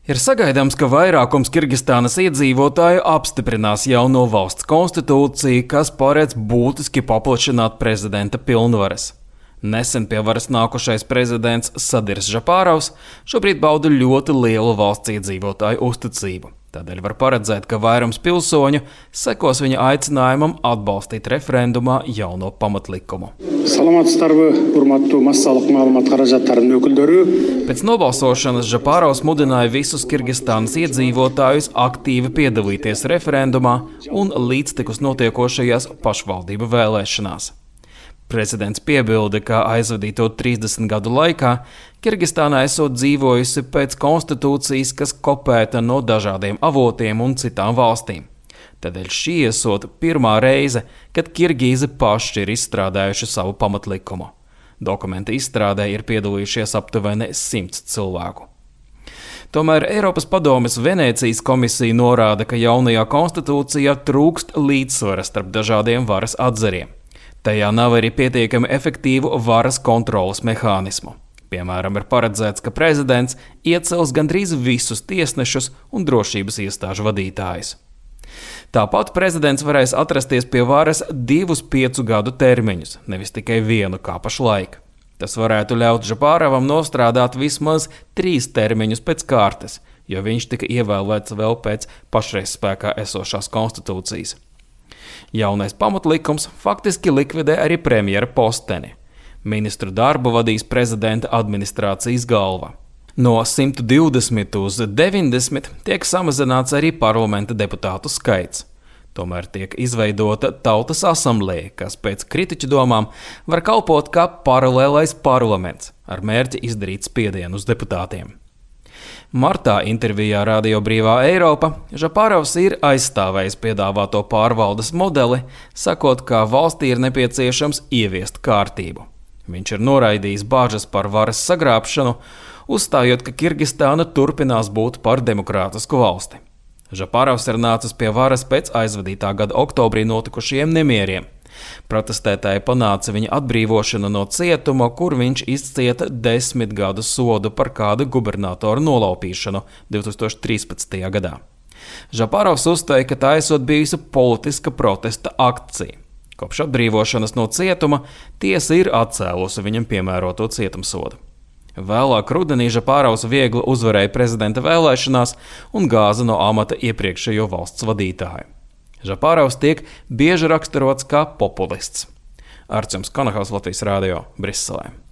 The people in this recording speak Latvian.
Ir sagaidāms, ka vairākums Kirgistānas iedzīvotāju apstiprinās jauno valsts konstitūciju, kas paredz būtiski paplašināt prezidenta pilnvaras. Nesen pie varas nākušais prezidents Sadirs Žapārovs šobrīd bauda ļoti lielu valsts iedzīvotāju uzticību. Tādēļ var paredzēt, ka vairums pilsoņu sekos viņa aicinājumam atbalstīt referendumā jauno pamatlikumu. Pēc nobalsošanas Žapārovs mudināja visus Kirgistānas iedzīvotājus aktīvi piedalīties referendumā un līdztekus notiekošajās pašvaldību vēlēšanās. Prezidents piebilda, ka aizvadīto 30 gadu laikā Kirgistānā esot dzīvojusi pēc konstitūcijas, kas kopēta no dažādiem avotiem un citām valstīm. Tādēļ šī esot pirmā reize, kad kirgīzi paši ir izstrādājuši savu pamatlikumu. Dokumenta izstrādē ir piedalījušies aptuveni 100 cilvēku. Tomēr Eiropas padomes Venēcijas komisija norāda, ka jaunajā konstitūcijā trūkst līdzsvara starp dažādiem varas atzariem. Tajā nav arī pietiekami efektīvu varas kontroles mehānismu. Piemēram, ir paredzēts, ka prezidents iecels gandrīz visus tiesnešus un drošības iestāžu vadītājus. Tāpat prezidents varēs atrasties pie varas 2 5 gadu termiņus, nevis tikai vienu kā pašlaik. Tas varētu ļaut Žapārovam nostrādāt vismaz 3 termiņus pēc kārtas, jo viņš tika ievēlēts vēl pēc pašreiz spēkā esošās konstitūcijas. Jaunais pamatlikums faktiski likvidē arī premjera posteni. Ministru darbu vadīs prezidenta administrācijas galva. No 120 uz 90 tiek samazināts arī parlamenta deputātu skaits. Tomēr tiek izveidota tautas asamblēja, kas pēc kritiķu domām var kalpot kā paralēlais parlaments ar mērķi izdarīt spiedienu uz deputātiem. Martā intervijā Radio Brīvā Eiropa Žapārovs ir aizstāvējis piedāvāto pārvaldes modeli, sakot, ka valstī ir nepieciešams ieviest kārtību. Viņš ir noraidījis bāžas par varas sagrābšanu, uzstājot, ka Kirgistāna turpinās būt par demokrātisku valsti. Žapārovs ir nācis pie varas pēc aizvadītā gada oktobrī notikušajiem nemieriem. Protestētāji panāca viņa atbrīvošanu no cietuma, kur viņš izcieta 10 gadu sodu par kāda gubernatora nolaupīšanu 2013. gadā. Žapārovs uzstāja, ka tā esot bijusi politiska protesta akcija. Kopš atbrīvošanas no cietuma tiesa ir atcēlusi viņam piemēroto cietumsodu. Vēlāk rudenī Žapārovs viegli uzvarēja prezidenta vēlēšanās un gāza no amata iepriekšējo valsts vadītāju. Žapārovs tiek bieži raksturots kā populists. Arčuns Konahaus, Latvijas Radio, Briselē.